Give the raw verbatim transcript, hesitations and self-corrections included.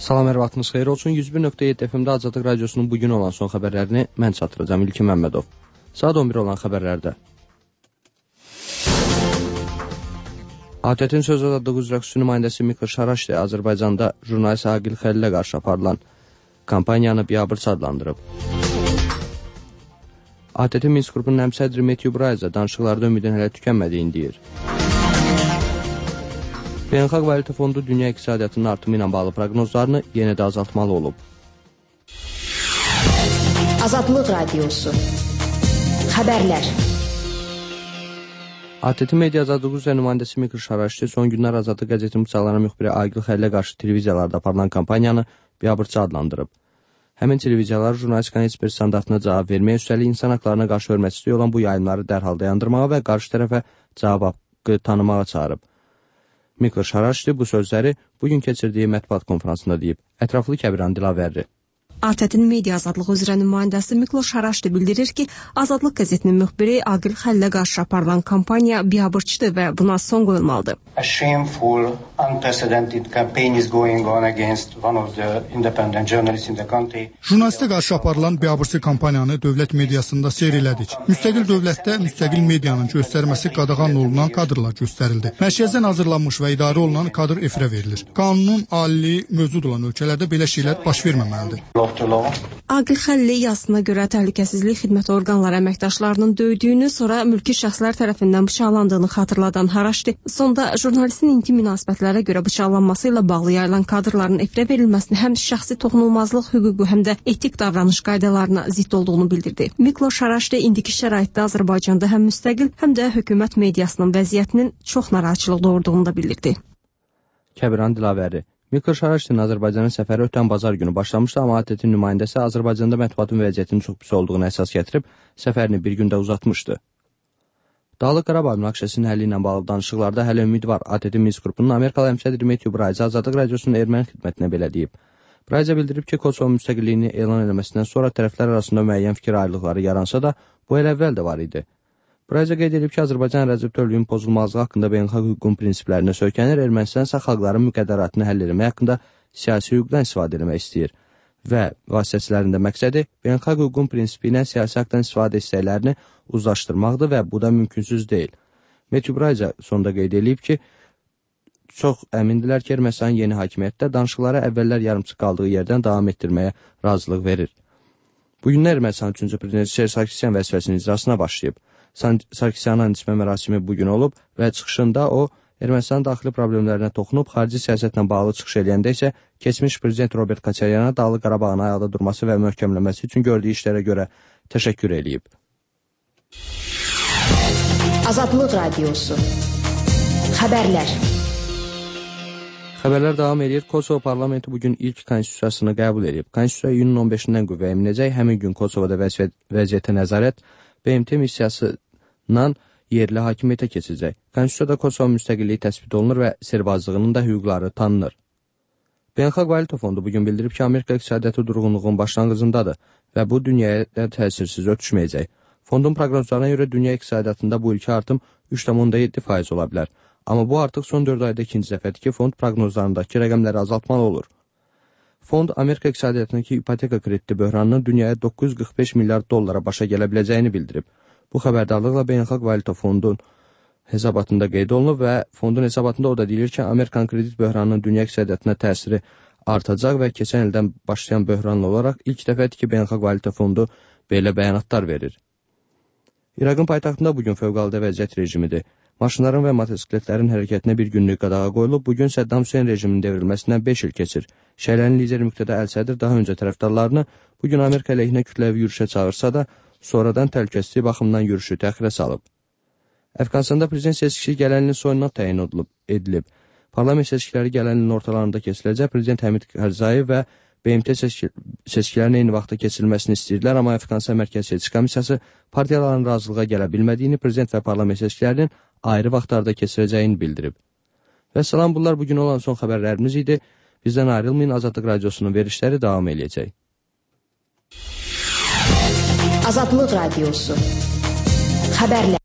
Salam, hər vaxtınız xeyir olsun. yüz bir nöqtə yeddi F M-də Azadlıq Radiosunun bugün olan son xəbərlərini mən çatdıracağım, İlkin Məmmədov. Saat on bir olan xəbərlərdə. A T T-in söz azadlığı üzrə xüsusi nümayəndəsi Mikl Şaraşdi Azərbaycanda jurnalist Aqil Xəlillə qarşı aparılan kampaniyanı biabırçı adlandırıb. A T T Minsk qrupunun həmsədri Metyu Brayza danışıqlarda ümidin hələ tükənmədiyini deyir. Beynəlxalq Valyuta Fondu dünya iqtisadiyyatının artımı ilə bağlı proqnozlarını yenə də azaltmalı olub. Azadlıq Radiosu Xəbərlər. A T T Media Azadlığı üzrə nümayəndəsi Mikl Şaraşdi son günlər Azadlıq qəzetinin bıçaqlanan müxbiri Aqil Xəlillə qarşı televiziyalarda aparılan kampaniyanı biabırçı adlandırıb. Həmin televiziyalar jurnalistikanın heç bir standartına cavab verməyə, üstəlik insan haqlarına qarşı hörmətsizlik olan bu yayımları dərhal dayandırmağa və qarşı tərəfə cavab haqqı tanımağa çağırıb. Mikl Şaraşdi bu sözləri bugün keçirdiyi mətbuat konferansında deyib. Ətraflı Kəbiran Dilavərli. A T T-in media azadlığı üzrə nümayəndəsi Mikl Şaraşdi bildirir ki, Azadlıq qəzetinin müxbiri Aqil Xəlillə qarşı aparılan kampaniya biabırçıdır və buna son qoyulmalıdır. A shameful, unprecedented campaign is going on against one of the independent journalists in the country. Jurnalistə qarşı aparılan biabırçı kampaniyanı dövlət mediasında seyr elədik. Müstəqil dövlətdə müstəqil medianın göstərməsi qadağan olunan kadrlar göstərildi. Mərkəzdən hazırlanmış və idarə olunan kadr efirə verilir. Qanunun alili mövcud olan ölkələrdə belə şeylər baş verməməlidir. Aqil Xəlilli yazısına görə təhlükəsizlik xidmət orqanları əməkdaşlarının döydüyünü, sonra mülki şəxslər tərəfindən bıçaqlandığını xatırladan Şaraşdi, sonda jurnalistin intim münasibətlərə görə bıçaqlanması ilə bağlı yayılan kadrların efirə verilməsini həm şəxsi toxunulmazlıq hüququ, həm də etik davranış qaydalarına zidd olduğunu bildirdi. Mikl Şaraşdi indiki şəraitdə Azərbaycanda həm müstəqil, həm də hökumət mediasının vəziyyətinin çox narahatçılıq doğurduğunu da bildirdi. Kəbiran Dilavəri. Mikl Şaraşdinin Azərbaycanın səfəri ötən bazar günü başlamışdı, amma A T T-in nümayəndəsi Azərbaycanda mətbuatın vəziyyətinin çox pis olduğunu əsas gətirib, səfərini bir gündə uzatmışdı. Dağlıq Qarabağ münaqişəsinin həlli ilə bağlı danışıqlarda hələ ümid var. A T T Minsk qrupunun Amerikalı həmsədri Metyu Brayza Azadlıq Radiosunun erməni xidmətinə belə deyib. Brayza bildirib ki, Kosovo müstəqilliyini elan etməsindən sonra tərəflər arasında müəyyən fikir ayrılıqları yaransa da, bu elə əvvəl də var idi. Brayza qeyd edib ki, Azərbaycan ərazi bütövlüyünün pozulmazlığı haqqında beynəlxalq hüququn prinsiplərinə söykənir, Ermənistan isə xalqların müqəddəratını həll etmək haqqında siyasi hüquqdan istifadə etmək istəyir və vasitəçilərində məqsədi beynəlxalq hüququn prinsipi ilə siyasi haqdan istifadə istəklərini uzlaşdırmaqdır və bu da mümkünsüz deyil. Metyu Brayza sonda qeyd edib ki, çox əmindilər ki, Ermənistan yeni hakimiyyətdə danışıqlara əvvəllər yarımçıq qaldığı yerdən davam etdirməyə razılıq verir. Bugün Ermənistan üçüncü prezidenti Serj Sarkisyan vəzifəsinin icrasına başlayıb. Sarkisyanın ismə mərasimi bugün olub və çıxışında o, Ermənistanın daxili problemlərinə toxunub, xarici siyasətlə bağlı çıxış edəndə isə keçmiş prezident Robert Koçaryana Dağlıq Qarabağın ayaqda durması və möhkəmləməsi üçün gördüyü işlərə görə təşəkkür edib. Azadlıq Radiosu Xəbərlər. Xəbərlər davam edir. Kosovo parlamenti bugün ilk konstitusiyasını qəbul edib. Konstitusiya iyunun on beşindən qüvvəyə minəcək. Həmin gün Kosovoda vəziyyətə nəzarət B M T missiyasından yerli hakimiyyətə keçəcək. Konstitusiyada Kosovo müstəqilliyi təsbit olunur və serbazlığının da hüquqları tanınır. Beynəlxalq Valyuta Fondu bugün bildirib ki, Amerika iqtisadiyyatı durğunluğun başlanğıcındadır və bu dünyaya təsirsiz ötüşməyəcək. Fondun proqnozlarına görə dünya iqtisadiyyatında bu ilki artım üç tam yeddi faiz ola bilər. Amma bu artıq son dörd ayda ikinci dəfədir ki, fond proqnozlarındakı rəqəmləri azaltmalı olur. Fond Amerika iqtisadiyyatındakı ipoteka krediti böhranının dünyaya doqquz yüz qırx beş milyard dollara başa gələ biləcəyini bildirib. Bu xəbərdarlıqla Beynəlxalq Valyuta Fondun hesabatında qeyd olunub və fondun hesabatında o da deyilir ki, Amerikan kredit böhranının dünya iqtisadiyyatına təsiri artacaq və keçən ildən başlayan böhranlı olaraq ilk dəfədir ki, Beynəlxalq Valyuta Fondu belə bəyanatlar verir. İraqın paytaxtında bugün fövqəladə vəziyyət rejimidir. Maşınların və motosikletlərin hərəkətinə bir günlük qadağa qoyulub, bugün Səddam Hüseyn rejiminin devrilməsindən beş il keçir. Şəhərlərin lideri Müqtədə Əl-Sədr daha öncə tərəfdarlarını bugün Amerika əleyhinə kütləvi yürüşə çağırsa da, sonradan təhlükəsizlik baxımından yürüşü təxirə salıb. Əfqanistanda prezident seçkisi gələn ilin sonuna təyin edilib. Parlament seçkiləri gələn ilin ortalarında keçiləcək. Prezident Həmid Karzai və B M T seçkilərin eyni vaxtda keçirilməsini istəyirlər, amma Əfqanistan Mərkəzi Seçki Komissiyası partiyaların razılığa gələ bilmədiyini, prezident və parlament seçkilərinin ayrı vaxtlarda keçirəcəyini bildirib. Və salam, bunlar bugün olan son xəbərlərimiz idi. Bizdən ayrılmayın, Azadlıq Radiosunun verişləri davam edəcək. Azadlıq Radiosu Xəbərlər.